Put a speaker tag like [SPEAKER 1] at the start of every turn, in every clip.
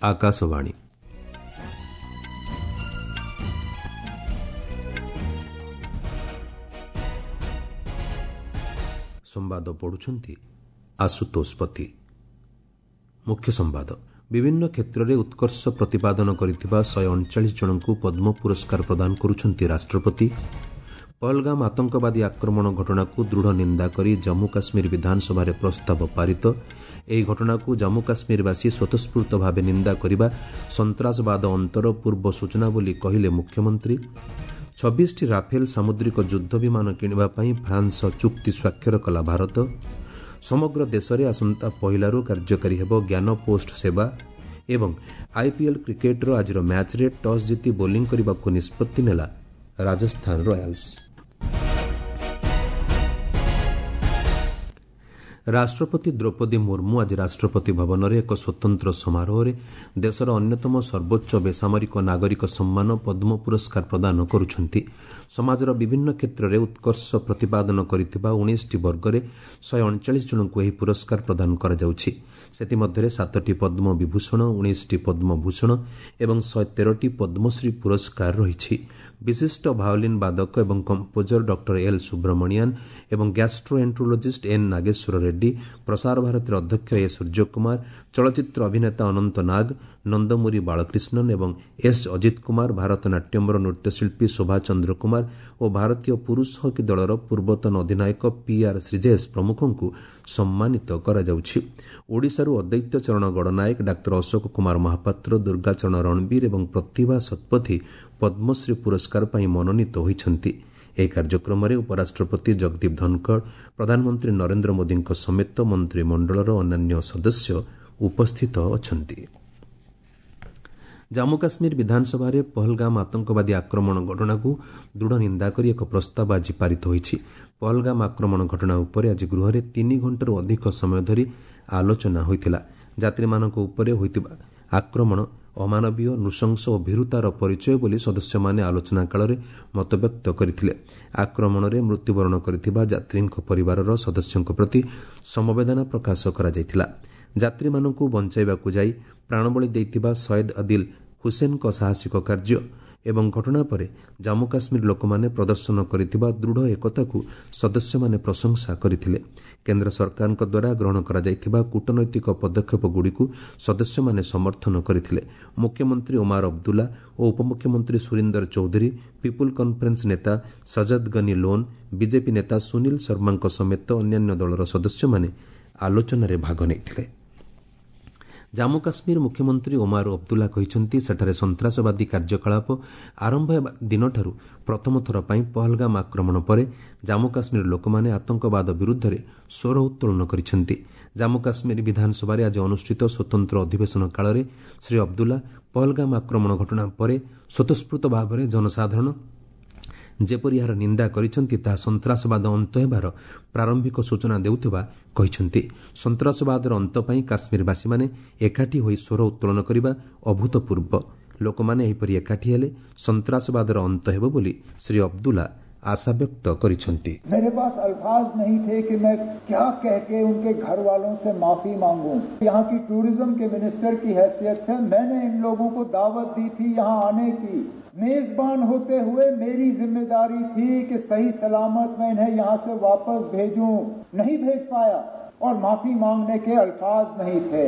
[SPEAKER 1] ଆକାଶବାଣୀ। ସମ୍ବାଦ ପଢ଼ୁଛନ୍ତି ଆଶୁତୋଷ ପତି। ମୁଖ୍ୟ ସମ୍ବାଦ। ବିଭିନ୍ନ କ୍ଷେତ୍ରରେ ଉତ୍କର୍ଷ ପ୍ରତିପାଦନ କରିଥିବା 139 ଜଣଙ୍କୁ ପଦ୍ମ ପୁରସ୍କାର ପ୍ରଦାନ କରୁଛନ୍ତି ରାଷ୍ଟ୍ରପତି। ପହଲଗାମ ଆତଙ୍କବାଦୀ ଆକ୍ରମଣ ଘଟଣାକୁ ଦୃଢ଼ ନିନ୍ଦା କରି ଜମ୍ମୁ କାଶ୍ମୀର ବିଧାନସଭାରେ ପ୍ରସ୍ତାବ ପାରିତ। ଏହି ଘଟଣାକୁ ଜମ୍ମୁ କାଶ୍ମୀରବାସୀ ସ୍ୱତଃସ୍ଫୂର୍ତ୍ତ ଭାବେ ନିନ୍ଦା କରିବା ସନ୍ତ୍ରାସବାଦ ଅନ୍ତର ପୂର୍ବ ସୂଚନା ବୋଲି କହିଲେ ମୁଖ୍ୟମନ୍ତ୍ରୀ। 26ଟି ରାଫେଲ ସାମୁଦ୍ରିକ ଯୁଦ୍ଧ ବିମାନ କିଣିବା ପାଇଁ ଫ୍ରାନ୍ସ ସହ ଚୁକ୍ତି ସ୍ୱାକ୍ଷର କଲା ଭାରତ। ସମଗ୍ର ଦେଶରେ ଆସନ୍ତା ପହିଲାରୁ କାର୍ଯ୍ୟକାରୀ ହେବ ଜ୍ଞାନ ପୋଷ୍ଟ ସେବା। ଏବଂ ଆଇପିଏଲ୍ କ୍ରିକେଟ୍ର ଆଜିର ମ୍ୟାଚ୍ରେ ଟସ୍ ଜିତି ବୋଲିଂ କରିବାକୁ ନିଷ୍ପତ୍ତି ନେଲା ରାଜସ୍ଥାନ ରୟାଲ୍ସ। ରାଷ୍ଟ୍ରପତି ଦ୍ରୌପଦୀ ମୁର୍ମୁ ଆଜି ରାଷ୍ଟ୍ରପତି ଭବନରେ ଏକ ସ୍ୱତନ୍ତ୍ର ସମାରୋହରେ ଦେଶର ଅନ୍ୟତମ ସର୍ବୋଚ୍ଚ ବେସାମରିକ ନାଗରିକ ସମ୍ମାନ ପଦ୍ମ ପୁରସ୍କାର ପ୍ରଦାନ କରୁଛନ୍ତି। ସମାଜର ବିଭିନ୍ନ କ୍ଷେତ୍ରରେ ଉତ୍କର୍ଷ ପ୍ରତିପାଦନ କରିଥିବା 19ଟି ବର୍ଗରେ 139 ଜଣଙ୍କୁ ଏହି ପୁରସ୍କାର ପ୍ରଦାନ କରାଯାଉଛି। ସେଥିମଧ୍ୟରେ 7ଟି ପଦ୍ମ ବିଭୂଷଣ, 19ଟି ପଦ୍ମଭୂଷଣ ଏବଂ 113ଟି ପଦ୍ମଶ୍ରୀ ପୁରସ୍କାର ରହିଛି। ବିଶିଷ୍ଟ ଭାୟୋଲିନ୍ ବାଦକ ଏବଂ କମ୍ପୋଜର ଡକ୍ଟର ଏଲ୍ ସୁବ୍ରମଣିଆନ୍ ଏବଂ ଗ୍ୟାଷ୍ଟ୍ରୋଏଣ୍ଟ୍ରୋଲୋଜିଷ୍ଟ ଏନ୍ ନାଗେଶ୍ୱର ରେଡ୍ଡି, ପ୍ରସାର ଭାରତୀର ଅଧ୍ୟକ୍ଷ ଏ ସୂର୍ଯ୍ୟକୁମାର, ଚଳଚ୍ଚିତ୍ର ଅଭିନେତା ଅନନ୍ତ ନାଗ, ନନ୍ଦମୁରୀ ବାଳକ୍ରିଷ୍ଣନ୍ ଏବଂ ଏସ୍ ଅଜିତ କୁମାର, ଭାରତନାଟ୍ୟମର ନୃତ୍ୟଶିଳ୍ପୀ ଶୋଭା ଚନ୍ଦ୍ରକୁମାର ଓ ଭାରତୀୟ ପୁରୁଷ ହକି ଦଳର ପୂର୍ବତନ ଅଧିନାୟକ ପିଆର୍ ଶ୍ରୀଜେଶ ପ୍ରମୁଖଙ୍କୁ ସମ୍ମାନିତ କରାଯାଉଛି। ଓଡ଼ିଶାରୁ ଅଦୈତ୍ୟ ଚରଣ ଗଡ଼ନାୟକ, ଡାକ୍ତର ଅଶୋକ କୁମାର ମହାପାତ୍ର, ଦୁର୍ଗାଚରଣ ରଣବୀର ଏବଂ ପ୍ରତିଭା ଶତପଥୀ ପଦ୍ମଶ୍ରୀ ପୁରସ୍କାର ପାଇଁ ମନୋନୀତ ହୋଇଛନ୍ତି। ଏହି କାର୍ଯ୍ୟକ୍ରମରେ ଉପରାଷ୍ଟ୍ରପତି ଜଗଦୀପ ଧନଖଡ଼, ପ୍ରଧାନମନ୍ତ୍ରୀ ନରେନ୍ଦ୍ର ମୋଦିଙ୍କ ସମେତ ମନ୍ତ୍ରିମଣ୍ଡଳର ଅନ୍ୟାନ୍ୟ ସଦସ୍ୟ ଉପସ୍ଥିତ ଅଛନ୍ତି। ଜାମ୍ମୁ କାଶ୍ମୀର ବିଧାନସଭାରେ ପହଲଗାମ ଆତଙ୍କବାଦୀ ଆକ୍ରମଣ ଘଟଣାକୁ ଦୃଢ଼ ନିନ୍ଦା କରି ଏକ ପ୍ରସ୍ତାବ ଆଜି ପାରିତ ହୋଇଛି। ପହଲଗାମ ଆକ୍ରମଣ ଘଟଣା ଉପରେ ଆଜି ଗୃହରେ 3 ଘଣ୍ଟାରୁ ଅଧିକ ସମୟ ଧରି ଆଲୋଚନା ହୋଇଥିଲା। ଯାତ୍ରୀମାନଙ୍କ ଉପରେ ହୋଇଥିବା ଆକ୍ରମଣ ଅମାନବୀୟ, ନୃଶଂସ ଓ ଭୀରୁତାର ପରିଚୟ ବୋଲି ସଦସ୍ୟମାନେ ଆଲୋଚନା କାଳରେ ମତବ୍ୟକ୍ତ କରିଥିଲେ। ଆକ୍ରମଣରେ ମୃତ୍ୟୁବରଣ କରିଥିବା ଯାତ୍ରୀଙ୍କ ପରିବାରର ସଦସ୍ୟଙ୍କ ପ୍ରତି ସମବେଦନା ପ୍ରକାଶ କରାଯାଇଥିଲା। ଯାତ୍ରୀମାନଙ୍କୁ ବଞ୍ଚାଇବାକୁ ଯାଇ ପ୍ରାଣବଳି ଦେଇଥିବା ସୟେଦ ଅଦିଲ ହୁସେନଙ୍କ ସାହସିକ କାର୍ଯ୍ୟ ଏବଂ ଘଟଣା ପରେ ଜାମ୍ମୁ କାଶ୍ମୀର ଲୋକମାନେ ପ୍ରଦର୍ଶନ କରିଥିବା ଦୃଢ଼ ଏକତାକୁ ସଦସ୍ୟମାନେ ପ୍ରଶଂସା କରିଥିଲେ। କେନ୍ଦ୍ର ସରକାରଙ୍କ ଦ୍ୱାରା ଗ୍ରହଣ କରାଯାଇଥିବା କୂଟନୈତିକ ପଦକ୍ଷେପଗୁଡ଼ିକୁ ସଦସ୍ୟମାନେ ସମର୍ଥନ କରିଥିଲେ। ମୁଖ୍ୟମନ୍ତ୍ରୀ ଓମାର ଅବଦୁଲ୍ଲା ଓ ଉପମୁଖ୍ୟମନ୍ତ୍ରୀ ସୁରିନ୍ଦର ଚୌଧୁରୀ, ପିପୁଲ କନ୍ଫରେନ୍ସ ନେତା ସଜଦ ଗନି ଲୋନ୍, ବିଜେପି ନେତା ସୁନୀଲ ଶର୍ମାଙ୍କ ସମେତ ଅନ୍ୟାନ୍ୟ ଦଳର ସଦସ୍ୟମାନେ ଆଲୋଚନାରେ ଭାଗ ନେଇଥିଲେ। ଜାମ୍ମୁ କାଶ୍ମୀର ମୁଖ୍ୟମନ୍ତ୍ରୀ ଓମାର ଅବଦୁଲ୍ଲା କହିଛନ୍ତି, ସେଠାରେ ସନ୍ତ୍ରାସବାଦୀ କାର୍ଯ୍ୟକଳାପ ଆରମ୍ଭ ହେବା ଦିନଠାରୁ ପ୍ରଥମ ଥର ପାଇଁ ପହଲଗାମ ଆକ୍ରମଣ ପରେ ଜାମ୍ମୁ କାଶ୍ମୀର ଲୋକମାନେ ଆତଙ୍କବାଦ ବିରୁଦ୍ଧରେ ସ୍ୱର ଉତ୍ତୋଳନ କରିଛନ୍ତି। ଜାମ୍ମୁ କାଶ୍ମୀର ବିଧାନସଭାରେ ଆଜି ଅନୁଷ୍ଠିତ ସ୍ୱତନ୍ତ୍ର ଅଧିବେଶନ କାଳରେ ଶ୍ରୀ ଅବଦୁଲ୍ଲା ପହଲଗାମ ଆକ୍ରମଣ ଘଟଣା ପରେ ସ୍ୱତଃସ୍ଫୂର୍ତ୍ତ ଭାବରେ ଜନସାଧାରଣ ଯେପରି ଏହାର ନିନ୍ଦା କରିଛନ୍ତି, ତାହା ସନ୍ତ୍ରାସବାଦ ଅନ୍ତ ହେବାର ପ୍ରାରମ୍ଭିକ ସୂଚନା ଦେଉଥିବା କହିଛନ୍ତି। ସନ୍ତ୍ରାସବାଦର ଅନ୍ତ ପାଇଁ କାଶ୍ମୀରବାସୀମାନେ ଏକାଠି ହୋଇ ସ୍ୱର ଉତ୍ତୋଳନ କରିବା ଅଭୂତପୂର୍ବ। ଲୋକମାନେ ଏହିପରି ଏକାଠି ହେଲେ ସନ୍ତ୍ରାସବାଦର ଅନ୍ତ ହେବ ବୋଲି ଶ୍ରୀ ଅବଦୁଲ୍ଲା ଆଶାବ୍ୟକ୍ତ କରିଛନ୍ତି।
[SPEAKER 2] मेरे पास अल्फाज नहीं थे कि मैं क्या कह के उनके घर वालों से माफी मांगूं। यहाँ की टूरिज्म के मिनिस्टर की हैसियत से मैंने इन लोगों को दावत दी थी यहाँ आने की। मेजबान होते हुए मेरी जिम्मेदारी थी कि सही सलामत मैं इन्हें यहाँ से वापस भेजूं। नहीं भेज पाया और माफी मांगने के अल्फाज नहीं थे।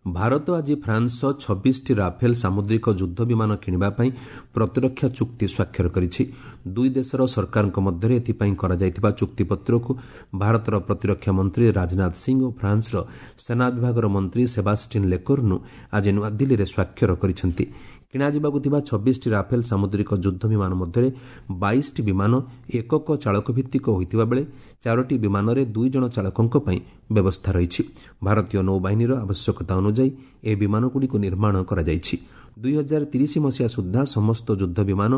[SPEAKER 1] ଭାରତ ଆଜି ଫ୍ରାନ୍ସ ସହ 26ଟି ରାଫେଲ ସାମୁଦ୍ରିକ ଯୁଦ୍ଧ ବିମାନ କିଣିବା ପାଇଁ ପ୍ରତିରକ୍ଷା ଚୁକ୍ତି ସ୍ୱାକ୍ଷର କରିଛି। ଦୁଇ ଦେଶର ସରକାରଙ୍କ ମଧ୍ୟରେ ଏଥିପାଇଁ କରାଯାଇଥିବା ଚୁକ୍ତିପତ୍ରକୁ ଭାରତର ପ୍ରତିରକ୍ଷା ମନ୍ତ୍ରୀ ରାଜନାଥ ସିଂ ଓ ଫ୍ରାନ୍ସର ସେନା ବିଭାଗର ମନ୍ତ୍ରୀ ସେବାଷ୍ଟିନ୍ ଲେକର୍ନୁ ଆଜି ନୂଆଦିଲ୍ଲୀରେ ସ୍ୱାକ୍ଷର କରିଛନ୍ତି। କିଣାଯିବାକୁ ଥିବା 26ଟି ରାଫେଲ ସାମୁଦ୍ରିକ ଯୁଦ୍ଧ ବିମାନ ମଧ୍ୟରେ 22ଟି ବିମାନ ଏକକ ଚାଳକ ଭିତ୍ତିକ ହୋଇଥିବା ବେଳେ 4ଟି ବିମାନରେ 2 ଜଣ ଚାଳକଙ୍କ ପାଇଁ ବ୍ୟବସ୍ଥା ରହିଛି। ଭାରତୀୟ ନୌବାହିନୀର ଆବଶ୍ୟକତା ଅନୁଯାୟୀ ଏହି ବିମାନଗୁଡ଼ିକୁ ନିର୍ମାଣ କରାଯାଇଛି। 2030 ମସିହା ସୁଦ୍ଧା ସମସ୍ତ ଯୁଦ୍ଧ ବିମାନ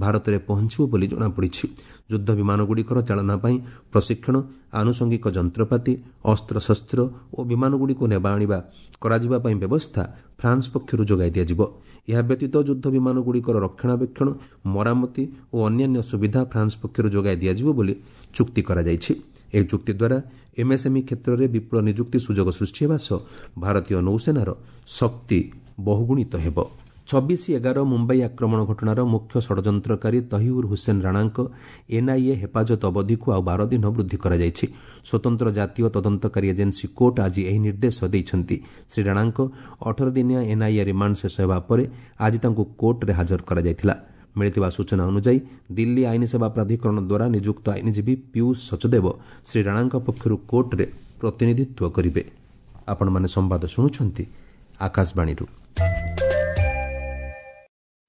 [SPEAKER 1] ଭାରତରେ ପହଞ୍ଚିବ ବୋଲି ଜଣାପଡ଼ିଛି। ଯୁଦ୍ଧ ବିମାନଗୁଡ଼ିକର ଚାଳନା ପାଇଁ ପ୍ରଶିକ୍ଷଣ, ଆନୁଷଙ୍ଗିକ ଯନ୍ତ୍ରପାତି, ଅସ୍ତ୍ରଶସ୍ତ୍ର ଓ ବିମାନଗୁଡ଼ିକୁ ନେବା ଆଣିବା କରାଯିବା ପାଇଁ ବ୍ୟବସ୍ଥା ଫ୍ରାନ୍ସ ପକ୍ଷରୁ ଯୋଗାଇ ଦିଆଯିବ। ଏହା ବ୍ୟତୀତ ଯୁଦ୍ଧ ବିମାନଗୁଡ଼ିକର ରକ୍ଷଣାବେକ୍ଷଣ, ମରାମତି ଓ ଅନ୍ୟାନ୍ୟ ସୁବିଧା ଫ୍ରାନ୍ସ ପକ୍ଷରୁ ଯୋଗାଇ ଦିଆଯିବ ବୋଲି ଚୁକ୍ତି କରାଯାଇଛି। ଏହି ଚୁକ୍ତି ଦ୍ୱାରା ଏମ୍ଏସ୍ଏମ୍ଇ କ୍ଷେତ୍ରରେ ବିପୁଳ ନିଯୁକ୍ତି ସୁଯୋଗ ସୃଷ୍ଟି ହେବା ସହ ଭାରତୀୟ ନୌସେନାର ଶକ୍ତି ବହୁଗୁଣିତ ହେବ। 26/11 ମୁମ୍ବାଇ ଆକ୍ରମଣ ଘଟଣାର ମୁଖ୍ୟ ଷଡ଼ଯନ୍ତ୍ରକାରୀ ତହିଉର ହୁସେନ ରାଣାଙ୍କ ଏନ୍ଆଇଏ ହେପାଜତ ଅବଧିକୁ ଆଉ 12 ଦିନ ବୃଦ୍ଧି କରାଯାଇଛି। ସ୍ୱତନ୍ତ୍ର ଜାତୀୟ ତଦନ୍ତକାରୀ ଏଜେନ୍ସି କୋର୍ଟ ଆଜି ଏହି ନିର୍ଦ୍ଦେଶ ଦେଇଛନ୍ତି। ଶ୍ରୀ ରାଣାଙ୍କ 18 ଦିନିଆ ଏନ୍ଆଇଏ ରିମାଣ୍ଡ ଶେଷ ହେବା ପରେ ଆଜି ତାଙ୍କୁ କୋର୍ଟରେ ହାଜର କରାଯାଇଥିଲା। ମିଳିଥିବା ସୂଚନା ଅନୁଯାୟୀ, ଦିଲ୍ଲୀ ଆଇନ ସେବା ପ୍ରାଧିକରଣ ଦ୍ୱାରା ନିଯୁକ୍ତ ଆଇନଜୀବୀ ପୀୟୁଷ ସଚଦେବ ଶ୍ରୀ ରାଣାଙ୍କ ପକ୍ଷରୁ କୋର୍ଟରେ ପ୍ରତିନିଧିତ୍ୱ କରିବେ। ଆପଣମାନେ ସମ୍ବାଦ ଶୁଣୁଛନ୍ତି ଆକାଶବାଣୀରୁ।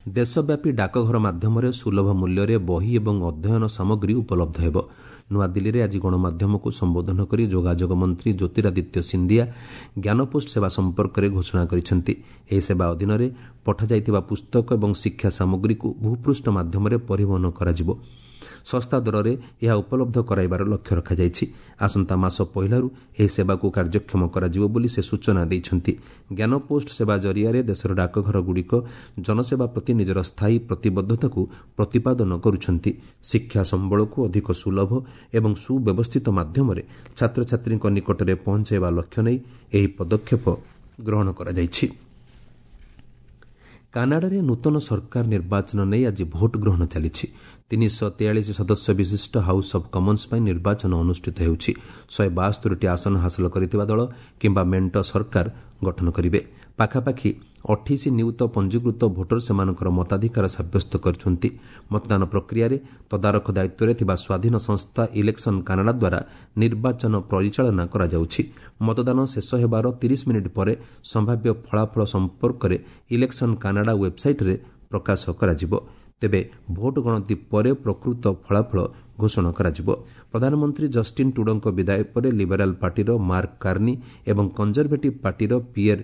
[SPEAKER 1] ଦେଶବ୍ୟାପୀ ଡାକଘର ମାଧ୍ୟମରେ ସୁଲଭ ମୂଲ୍ୟରେ ବହି ଏବଂ ଅଧ୍ୟୟନ ସାମଗ୍ରୀ ଉପଲବ୍ଧ ହେବ। ନୂଆଦିଲ୍ଲୀରେ ଆଜି ଗଣମାଧ୍ୟମକୁ ସମ୍ବୋଧନ କରି ଯୋଗାଯୋଗ ମନ୍ତ୍ରୀ ଜ୍ୟୋତିରାଦିତ୍ୟ ସିନ୍ଧିଆ ଜ୍ଞାନପୋଷ୍ଟ ସେବା ସମ୍ପର୍କରେ ଘୋଷଣା କରିଛନ୍ତି। ଏହି ସେବା ଅଧୀନରେ ପଠାଯାଇଥିବା ପୁସ୍ତକ ଏବଂ ଶିକ୍ଷା ସାମଗ୍ରୀକୁ ଭୂପୃଷ୍ଠ ମାଧ୍ୟମରେ ପରିବହନ କରାଯିବ। ଶସ୍ତା ଦରରେ ଏହା ଉପଲବ୍ଧ କରାଇବାର ଲକ୍ଷ୍ୟ ରଖାଯାଇଛି। ଆସନ୍ତା ମାସ ପହିଲାରୁ ଏହି ସେବାକୁ କାର୍ଯ୍ୟକ୍ଷମ କରାଯିବ ବୋଲି ସେ ସୂଚନା ଦେଇଛନ୍ତି। ଜ୍ଞାନପୋଷ୍ଟ ସେବା ଜରିଆରେ ଦେଶର ଡାକଘରଗୁଡ଼ିକ ଜନସେବା ପ୍ରତି ନିଜର ସ୍ଥାୟୀ ପ୍ରତିବଦ୍ଧତାକୁ ପ୍ରତିପାଦନ କରୁଛନ୍ତି। ଶିକ୍ଷା ସମ୍ବଳକୁ ଅଧିକ ସୁଲଭ ଏବଂ ସୁବ୍ୟବସ୍ଥିତ ମାଧ୍ୟମରେ ଛାତ୍ରଛାତ୍ରୀଙ୍କ ନିକଟରେ ପହଞ୍ଚାଇବା ଲକ୍ଷ୍ୟ ନେଇ ଏହି ପଦକ୍ଷେପ ଗ୍ରହଣ କରାଯାଇଛି। କାନାଡାରେ ନୂତନ ସରକାର ନିର୍ବାଚନ ନେଇ ଆଜି ଭୋଟ ଗ୍ରହଣ ଚାଲିଛି। 343 ସଦସ୍ୟ ବିଶିଷ୍ଟ ହାଉସ୍ ଅଫ୍ କମନ୍ସ ପାଇଁ ନିର୍ବାଚନ ଅନୁଷ୍ଠିତ ହେଉଛି। 172ଟି ଆସନ ହାସଲ କରିଥିବା ଦଳ କିମ୍ବା ମେଣ୍ଟ ସରକାର ଗଠନ କରିବେ। ପାଖାପାଖି 28 ନିୟୁତ ପଞ୍ଜୀକୃତ ଭୋଟର ସେମାନଙ୍କର ମତାଧିକାର ସାବ୍ୟସ୍ତ କରିଛନ୍ତି। ମତଦାନ ପ୍ରକ୍ରିୟାରେ ତଦାରଖ ଦାୟିତ୍ୱରେ ଥିବା ସ୍ୱାଧୀନ ସଂସ୍ଥା ଇଲେକ୍ସନ କାନାଡା ଦ୍ୱାରା ନିର୍ବାଚନ ପରିଚାଳନା କରାଯାଉଛି। ମତଦାନ ଶେଷ ହେବାର 30 ମିନିଟ୍ ପରେ ସମ୍ଭାବ୍ୟ ଫଳାଫଳ ସମ୍ପର୍କରେ ଇଲେକ୍ସନ କାନାଡା ୱେବ୍ସାଇଟ୍ରେ ପ୍ରକାଶ କରାଯିବ। ତେବେ ଭୋଟ ଗଣତି ପରେ ପ୍ରକୃତ ଫଳାଫଳ ଘୋଷଣା କରାଯିବ। ପ୍ରଧାନମନ୍ତ୍ରୀ ଜଷ୍ଟିନ୍ ଟୁଡୋଙ୍କ ବିଦାୟ ପରେ ଲିବେରାଲ୍ ପାର୍ଟିର ମାର୍କ କାର୍ନି ଏବଂ କଞ୍ଜରଭେଟିଭ୍ ପାର୍ଟିର ପିଏର୍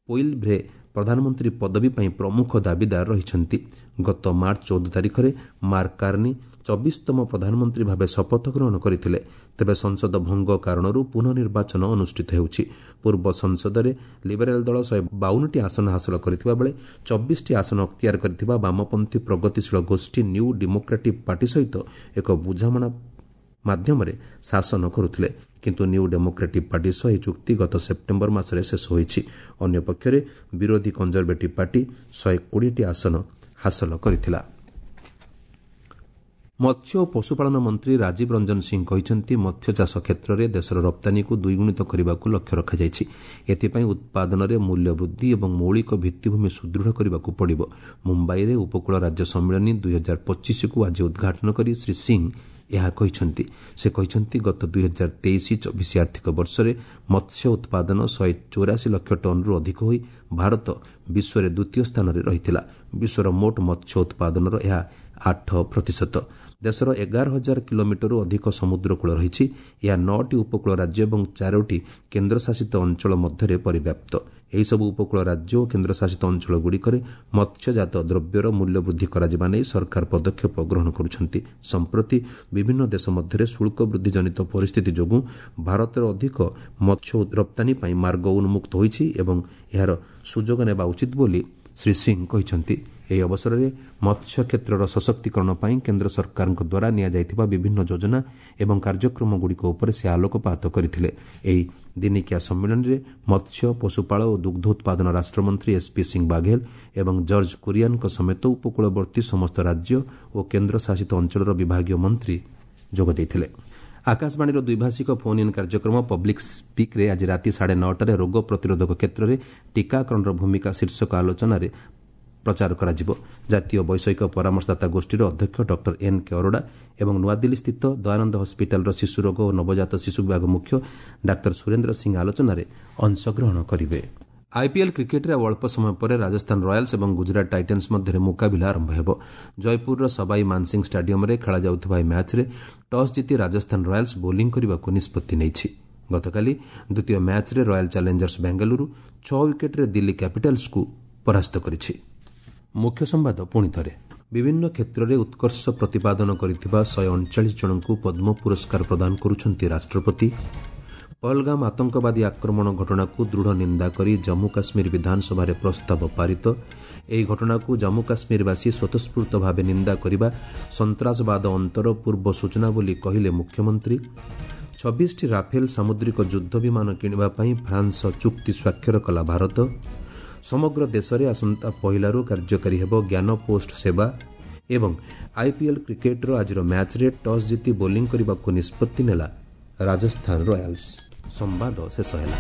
[SPEAKER 1] ପୋଇଲଭ୍ରେ ପ୍ରଧାନମନ୍ତ୍ରୀ ପଦବୀ ପାଇଁ ପ୍ରମୁଖ ଦାବିଦାର ରହିଛନ୍ତି। ଗତ ମାର୍ଚ୍ଚ 14 ତାରିଖରେ ମାର୍କ କାର୍ନି 24ତମ ପ୍ରଧାନମନ୍ତ୍ରୀ ଭାବେ ଶପଥ ଗ୍ରହଣ କରିଥିଲେ। ତେବେ ସଂସଦ ଭଙ୍ଗ କାରଣରୁ ପୁନଃ ନିର୍ବାଚନ ଅନୁଷ୍ଠିତ ହେଉଛି। ପୂର୍ବ ସଂସଦରେ ଲିବେରାଲ୍ ଦଳ 152ଟି ଆସନ ହାସଲ କରିଥିବା ବେଳେ 24ଟି ଆସନ ଅକ୍ତିଆର କରିଥିବା ବାମପନ୍ଥୀ ପ୍ରଗତିଶୀଳ ଗୋଷ୍ଠୀ ନ୍ୟୁ ଡେମୋକ୍ରାଟିକ୍ ପାର୍ଟି ସହିତ ଏକ ବୁଝାମଣା ମାଧ୍ୟମରେ ଶାସନ କରୁଥିଲେ। କିନ୍ତୁ ନ୍ୟୁ ଡେମୋକ୍ରାଟିକ୍ ପାର୍ଟି ସହ ଏହି ଚୁକ୍ତି ଗତ ସେପ୍ଟେମ୍ବର ମାସରେ ଶେଷ ହୋଇଛି। ଅନ୍ୟପକ୍ଷରେ ବିରୋଧୀ କଞ୍ଜରଭେଟିଭ୍ ପାର୍ଟି 120ଟି ଆସନ ହାସଲ କରିଥିଲା। ମତ୍ସ୍ୟ ଓ ପଶୁପାଳନ ମନ୍ତ୍ରୀ ରାଜୀବ ରଞ୍ଜନ ସିଂ କହିଛନ୍ତି, ମତ୍ସ୍ୟଚାଷ କ୍ଷେତ୍ରରେ ଦେଶର ରପ୍ତାନୀକୁ ଦ୍ୱିଗୁଣିତ କରିବାକୁ ଲକ୍ଷ୍ୟ ରଖାଯାଇଛି। ଏଥିପାଇଁ ଉତ୍ପାଦନରେ ମୂଲ୍ୟ ବୃଦ୍ଧି ଏବଂ ମୌଳିକ ଭିତ୍ତିଭୂମି ସୁଦୃଢ଼ କରିବାକୁ ପଡ଼ିବ। ମୁମ୍ବାଇରେ ଉପକୂଳ ରାଜ୍ୟ ସମ୍ମିଳନୀ 2025କୁ ଆଜି ଉଦ୍ଘାଟନ କରି ଶ୍ରୀ ସିଂ ଏହା କହିଛନ୍ତି। ସେ କହିଛନ୍ତି, ଗତ 2023-24 ଆର୍ଥିକ ବର୍ଷରେ ମତ୍ସ୍ୟ ଉତ୍ପାଦନ 184 ଲକ୍ଷ ଟନ୍ରୁ ଅଧିକ ହୋଇ ଭାରତ ବିଶ୍ୱରେ ଦ୍ୱିତୀୟ ସ୍ଥାନରେ ରହିଥିଲା। ବିଶ୍ୱର ମୋଟ ମତ୍ସ୍ୟ ଉତ୍ପାଦନର ଏହା 8%। ଦେଶର 11,000 କିଲୋମିଟରରୁ ଅଧିକ ସମୁଦ୍ରକୂଳ ରହିଛି। ଏହା 9ଟି ଉପକୂଳ ରାଜ୍ୟ ଏବଂ 4ଟି କେନ୍ଦ୍ରଶାସିତ ଅଞ୍ଚଳ ମଧ୍ୟରେ ପରିବ୍ୟାପ୍ତ। ଏହିସବୁ ଉପକୂଳ ରାଜ୍ୟ ଓ କେନ୍ଦ୍ରଶାସିତ ଅଞ୍ଚଳଗୁଡ଼ିକରେ ମତ୍ସ୍ୟଜାତ ଦ୍ରବ୍ୟର ମୂଲ୍ୟ ବୃଦ୍ଧି କରାଯିବା ନେଇ ସରକାର ପଦକ୍ଷେପ ଗ୍ରହଣ କରୁଛନ୍ତି। ସମ୍ପ୍ରତି ବିଭିନ୍ନ ଦେଶ ମଧ୍ୟରେ ଶୁଳ୍କ ବୃଦ୍ଧି ଜନିତ ପରିସ୍ଥିତି ଯୋଗୁଁ ଭାରତର ଅଧିକ ମତ୍ସ୍ୟ ରପ୍ତାନୀ ପାଇଁ ମାର୍ଗ ଉନ୍ମୁକ୍ତ ହୋଇଛି ଏବଂ ଏହାର ସୁଯୋଗ ନେବା ଉଚିତ ବୋଲି ଶ୍ରୀ ସିଂ କହିଛନ୍ତି। ଏହି ଅବସରରେ ମତ୍ସ୍ୟ କ୍ଷେତ୍ରର ସଶକ୍ତିକରଣ ପାଇଁ କେନ୍ଦ୍ର ସରକାରଙ୍କ ଦ୍ୱାରା ନିଆଯାଇଥିବା ବିଭିନ୍ନ ଯୋଜନା ଏବଂ କାର୍ଯ୍ୟକ୍ରମଗୁଡ଼ିକ ଉପରେ ସେ ଆଲୋକପାତ କରିଥିଲେ। ଏହି ଦିନିକିଆ ସମ୍ମିଳନୀରେ ମତ୍ସ୍ୟ, ପଶୁପାଳ ଓ ଦୁଗ୍ଧ ଉତ୍ପାଦନ ରାଷ୍ଟ୍ରମନ୍ତ୍ରୀ ଏସ୍ପି ସିଂ ବାଘେଲ ଏବଂ ଜର୍ଜ କୁରିଆନଙ୍କ ସମେତ ଉପକୂଳବର୍ତ୍ତୀ ସମସ୍ତ ରାଜ୍ୟ ଓ କେନ୍ଦ୍ରଶାସିତ ଅଞ୍ଚଳର ବିଭାଗୀୟ ମନ୍ତ୍ରୀ ଯୋଗ ଦେଇଥିଲେ। ଆକାଶବାଣୀର ଦ୍ୱିଭାଷିକ ଫୋନ୍ ଇନ୍ କାର୍ଯ୍ୟକ୍ରମ ପବ୍ଲିକ୍ ସ୍ପିକ୍ରେ ଆଜି ରାତି 9:30ରେ ରୋଗ ପ୍ରତିରୋଧକ କ୍ଷେତ୍ରରେ ଟିକାକରଣର ଭୂମିକା ଶୀର୍ଷକ ଆଲୋଚନାରେ ପ୍ରଚାର କରାଯିବ। ଜାତୀୟ ବୈଷୟିକ ପରାମର୍ଶଦାତା ଗୋଷ୍ଠୀର ଅଧ୍ୟକ୍ଷ ଡକ୍ଟର ଏନ୍ କେ ଅରୋଡ଼ା ଏବଂ ନୂଆଦିଲ୍ଲୀସ୍ଥିତ ଦୟାନନ୍ଦ ହସ୍ପିଟାଲର ଶିଶୁରୋଗ ଓ ନବଜାତ ଶିଶୁ ବିଭାଗ ମୁଖ୍ୟ ଡାକ୍ତର ସୁରେନ୍ଦ୍ର ସିଂ ଆଲୋଚନାରେ ଅଂଶଗ୍ରହଣ କରିବେ। ଆଇପିଏଲ୍ କ୍ରିକେଟ୍ରେ ଆଉ ଅଳ୍ପ ସମୟ ପରେ ରାଜସ୍ଥାନ ରୟାଲ୍ସ ଏବଂ ଗୁଜରାଟ ଟାଇଟାନ୍ସ ମଧ୍ୟରେ ମୁକାବିଲା ଆରମ୍ଭ ହେବ। ଜୟପୁରର ସବାଇ ମାନସିଂ ଷ୍ଟାଡିୟମ୍ରେ ଖେଳାଯାଉଥିବା ଏହି ମ୍ୟାଚ୍ରେ ଟସ୍ ଜିତି ରାଜସ୍ଥାନ ରୟାଲ୍ସ ବୋଲିଂ କରିବାକୁ ନିଷ୍ପତ୍ତି ନେଇଛି। ଗତକାଲି ଦ୍ୱିତୀୟ ମ୍ୟାଚ୍ରେ ରୟାଲ୍ ଚ୍ୟାଲେଞ୍ଜର୍ସ ବେଙ୍ଗାଲୁରୁ 6 ୱିକେଟ୍ରେ ଦିଲ୍ଲୀ କ୍ୟାପିଟାଲ୍ସକୁ ପରାସ୍ତ କରିଛି। ମୁଖ୍ୟ ସମ୍ବାଦ ପୁଣି ଥରେ। ବିଭିନ୍ନ କ୍ଷେତ୍ରରେ ଉତ୍କର୍ଷ ପ୍ରତିପାଦନ କରିଥିବା 139 ଜଣଙ୍କୁ ପଦ୍ମ ପୁରସ୍କାର ପ୍ରଦାନ କରୁଛନ୍ତି ରାଷ୍ଟ୍ରପତି। ପହଲଗାମ ଆତଙ୍କବାଦୀ ଆକ୍ରମଣ ଘଟଣାକୁ ଦୃଢ଼ ନିନ୍ଦା କରି ଜମ୍ମୁ କାଶ୍ମୀର ବିଧାନସଭାରେ ପ୍ରସ୍ତାବ ପାରିତ। ଏହି ଘଟଣାକୁ ଜମ୍ମୁ କାଶ୍ମୀରବାସୀ ସ୍ୱତଃସ୍ଫୂର୍ତ୍ତ ଭାବେ ନିନ୍ଦା କରିବା ସନ୍ତ୍ରାସବାଦ ଅନ୍ତର ପୂର୍ବ ସୂଚନା ବୋଲି କହିଲେ ମୁଖ୍ୟମନ୍ତ୍ରୀ। 26ଟି ରାଫେଲ ସାମୁଦ୍ରିକ ଯୁଦ୍ଧ ବିମାନ କିଣିବା ପାଇଁ ଫ୍ରାନ୍ସ ସହ ଚୁକ୍ତି ସ୍ୱାକ୍ଷର କଲା ଭାରତ। ସମଗ୍ର ଦେଶରେ ଆସନ୍ତା ପହିଲାରୁ କାର୍ଯ୍ୟକାରୀ ହେବ ଜ୍ଞାନ ପୋଷ୍ଟ ସେବା। ଏବଂ ଆଇପିଏଲ୍ କ୍ରିକେଟ୍ର ଆଜିର ମ୍ୟାଚ୍ରେ ଟସ୍ ଜିତି ବୋଲିଂ କରିବାକୁ ନିଷ୍ପତ୍ତି ନେଲା ରାଜସ୍ଥାନ ରୟାଲ୍ସ। ସମ୍ବାଦ ଶେଷ ହେଲା।